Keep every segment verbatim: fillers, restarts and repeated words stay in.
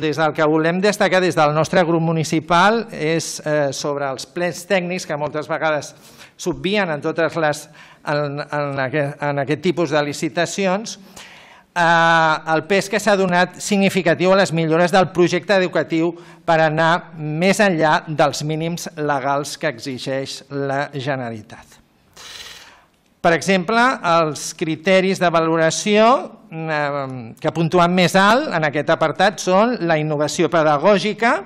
Des del que volem destacar des del nostre grup municipal és sobre els plens tècnics que moltes vegades s'obvien en totes les en aquest tipus de licitacions, el pes que s'ha donat significatiu a les millores del projecte educatiu per anar més enllà dels mínims legals que exigeix la Generalitat. Per exemple, els criteris de valoració que puntuen més alt en aquest apartat són la innovació pedagògica,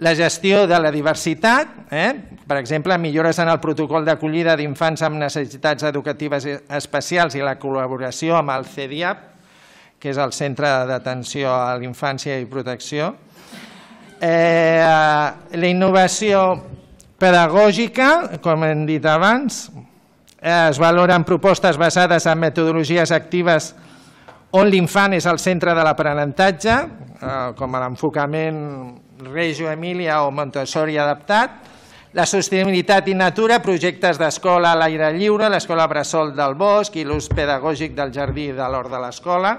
la gestió de la diversitat, per exemple, millores en el protocol d'acollida d'infants amb necessitats educatives especials i la col·laboració amb el C D I A P, que és el Centre d'Atenció a la Infància i Protecció. La innovació pedagògica, com hem dit abans, es valoren propostes basades en metodologies actives on l'infant és el centre de l'aprenentatge, com l'enfocament Reggio Emilia o Montessori adaptat, la sostenibilitat i natura, projectes d'escola a l'aire lliure, l'escola bressol del bosc i l'ús pedagògic del jardí i de l'hort de l'escola,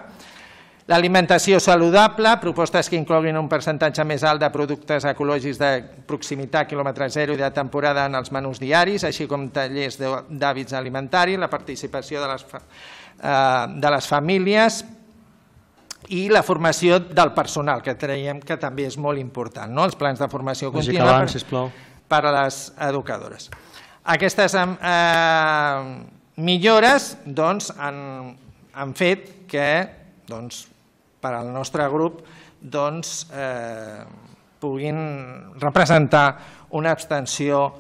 l'alimentació saludable, propostes que incloguin un percentatge més alt de productes ecològics de proximitat, quilòmetre zero i de temporada en els menús diaris, així com tallers d'hàbits alimentaris, la participació de les famílies i la formació del personal, que creiem que també és molt important, els plans de formació contínua per a les educadores. Aquestes millores han fet que per al nostre grup puguin representar una abstenció